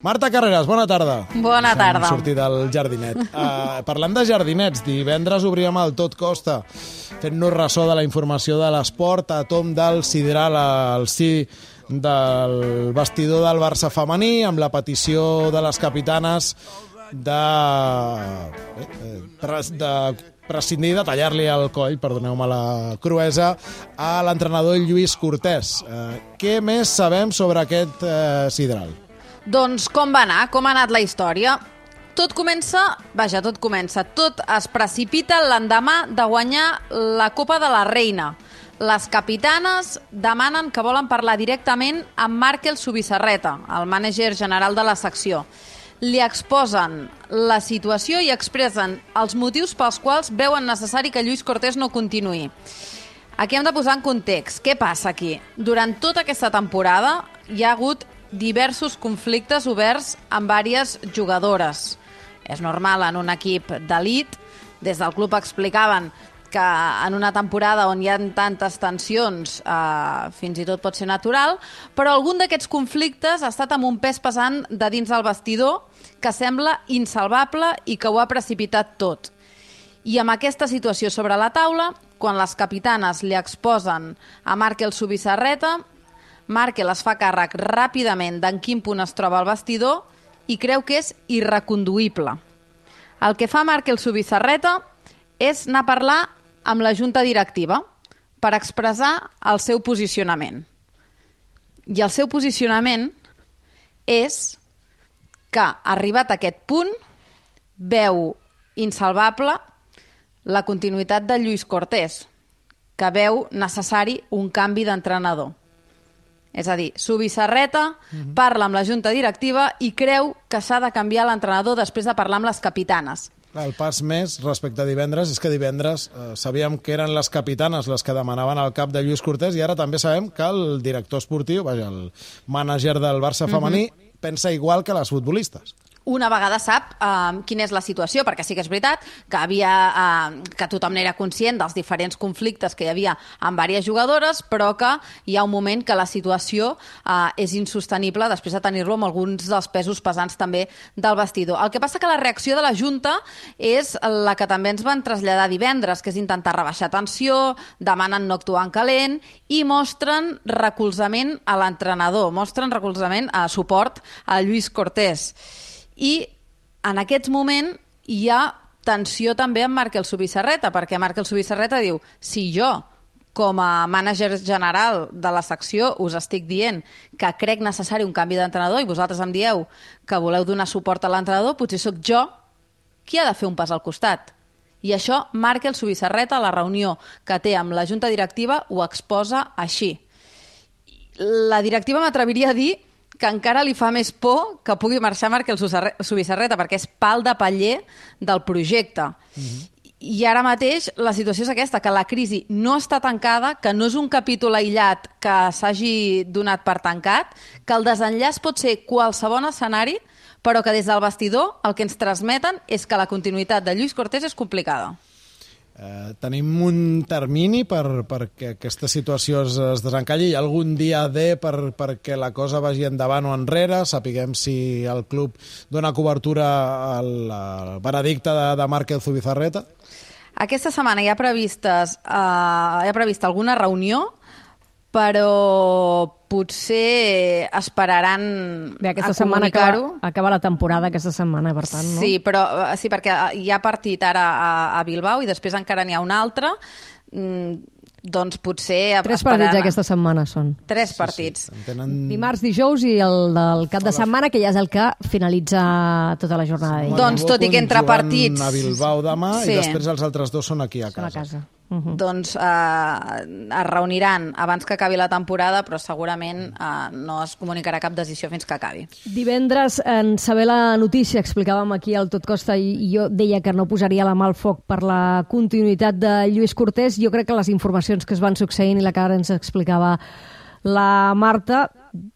Marta Carreras, bona tarda. Bona tarda. Hem sortit del jardinet. Parlant de jardinets, divendres obríem el Tot Costa, fent-nos ressò de la informació de l'esport a tom del sidral al sí del vestidor del Barça femení, amb la petició de les capitanes de prescindir, de tallar-li el coll, perdoneu-me la cruesa, a l'entrenador Lluís Cortés. Què més sabem sobre aquest sidral? Doncs com va anar? Com ha anat la història? Tot es precipita l'endemà de guanyar la Copa de la Reina. Les capitanes demanen que volen parlar directament amb Markel Zubizarreta, el mànager general de la secció. Li exposen la situació i expressen els motius pels quals veuen necessari que Lluís Cortés no continuï. Aquí hem de posar en context. Què passa aquí? Durant tota aquesta temporada hi ha hagut diversos conflictes oberts amb diverses jugadores. És normal en un equip d'elit. Des del club explicaven que en una temporada on hi ha tantes tensions fins i tot pot ser natural, però algun d'aquests conflictes ha estat amb un pes pesant de dins del vestidor que sembla insalvable i que ho ha precipitat tot. I amb aquesta situació sobre la taula, quan les capitanes li exposen a Markel Zubizarreta, Markel es fa càrrec ràpidament d'en quin punt es troba el vestidor i creu que és irreconduïble. El que fa Markel Zubizarreta és anar a parlar amb la junta directiva per expressar el seu posicionament. I el seu posicionament és que, arribat a aquest punt, veu insalvable la continuïtat de Lluís Cortés, que veu necessari un canvi d'entrenador. És a dir, Zubizarreta parla amb la junta directiva i creu que s'ha de canviar l'entrenador després de parlar amb les capitanes. El pas més respecte a divendres és que divendres sabíem que eren les capitanes les que demanaven el cap de Lluís Cortés i ara també sabem que el director esportiu, el mànager del Barça femení, pensa igual que les futbolistes. Una vegada sap quina és la situació, perquè sí que és veritat que tothom n'era conscient dels diferents conflictes que hi havia amb diverses jugadores, però que hi ha un moment que la situació és insostenible després de tenir-lo amb alguns dels pesos pesants també del vestidor. El que passa que la reacció de la Junta és la que també ens van traslladar divendres, que és intentar rebaixar tensió, demanen no actuar en calent i mostren recolzament a l'entrenador, mostren recolzament a suport a Lluís Cortés. I en aquest moment hi ha tensió també amb Markel Zubizarreta, perquè Markel Zubizarreta diu: si jo, com a mànager general de la secció, us estic dient que crec necessari un canvi d'entrenador i vosaltres em dieu que voleu donar suport a l'entrenador, potser sóc jo qui ha de fer un pas al costat. I això Markel Zubizarreta, a la reunió que té amb la junta directiva, ho exposa així. La directiva m'atreviria a dir que encara li fa més por que pugui marxar Markel Zubizarreta, perquè és pal de paller del projecte. I ara mateix la situació és aquesta, que la crisi no està tancada, que no és un capítol aïllat que s'hagi donat per tancat, que el desenllaç pot ser qualsevol escenari, però que des del vestidor el que ens transmeten és que la continuïtat de Lluís Cortés és complicada. Tenim un termini perquè aquesta situació es desencalli? Hi ha algun dia D perquè la cosa vagi endavant o enrere? Sapiguem si el club dona cobertura al veredicte de Markel Zubizarreta? Aquesta setmana hi ha prevista alguna reunió, però potser esperaran aquesta a comunicar-ho. Acaba la temporada aquesta setmana, per tant, no? Sí, perquè hi ha partit ara a Bilbao i després encara n'hi ha un altre. Doncs potser... 3 partits aquesta setmana són. 3 partits. Sí. Dimarts, dijous i el del cap de setmana, que ja és el que finalitza tota la jornada. Doncs tot i que entre partits... a Bilbao demà i després els altres 2 són aquí a casa. Doncs es reuniran abans que acabi la temporada, però segurament no es comunicarà cap decisió fins que acabi. Divendres, en saber la notícia, explicàvem aquí al Tot Costa i jo deia que no posaria la mà al foc per la continuïtat de Lluís Cortés. Jo crec que les informacions que es van succeint i la que ara ens explicava la Marta,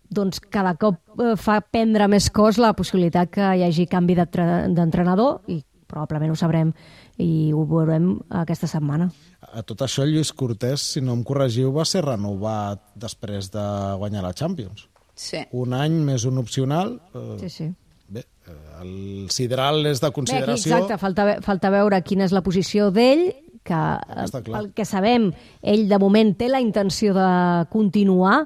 doncs cada cop fa prendre més cos la possibilitat que hi hagi canvi d'entrenador i probablement ho sabrem i ho veurem aquesta setmana. A tot això, Lluís Cortés, si no em corregiu, va ser renovat després de guanyar la Champions. Sí. Un any més un opcional. Sí. Bé, el sideral és de consideració. Bé, exacte, falta veure quina és la posició d'ell, que el que sabem, ell de moment té la intenció de continuar.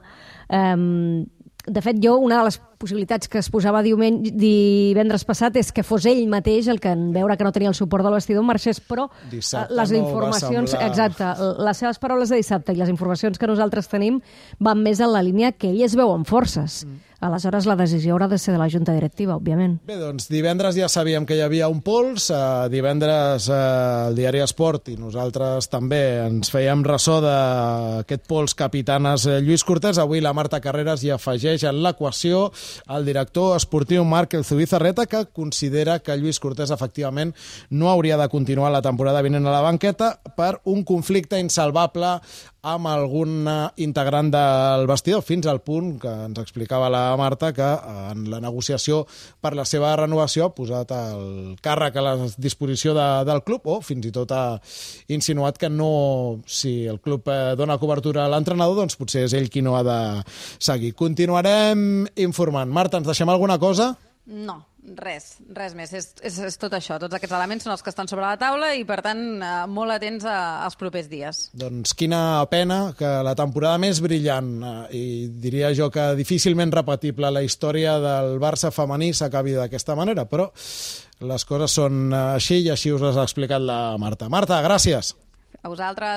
De fet, una de les possibilitats que es posava divendres passat és que fos ell mateix el que, en veure que no tenia el suport del vestidor, marxés, però les informacions... Exacte, les seves paraules de dissabte i les informacions que nosaltres tenim van més en la línia que ell es veu amb forces. Aleshores, la decisió haurà de ser de la Junta Directiva, òbviament. Bé, doncs divendres ja sabíem que hi havia un pols, divendres el diari Esport i nosaltres també ens fèiem ressò d'aquest pols capitanes Lluís Cortés. Avui la Marta Carreras hi afegeix en l'equació el director esportiu Marc Zubizarreta, que considera que Lluís Cortés efectivament no hauria de continuar la temporada vinent a la banqueta per un conflicte insalvable amb algun integrant del vestidor, fins al punt que ens explicava la Marta que en la negociació per la seva renovació ha posat el càrrec a la disposició del club, o fins i tot ha insinuat que no, si el club dona cobertura a l'entrenador, doncs potser és ell qui no ha de seguir. Continuarem informant. Marta, ens deixem alguna cosa? No, res més. És tot això. Tots aquests elements són els que estan sobre la taula i, per tant, molt atents als propers dies. Doncs quina pena que la temporada més brillant i diria jo que difícilment repetible a la història del Barça femení s'acabi d'aquesta manera, però les coses són així i així us les ha explicat la Marta. Marta, gràcies. A vosaltres.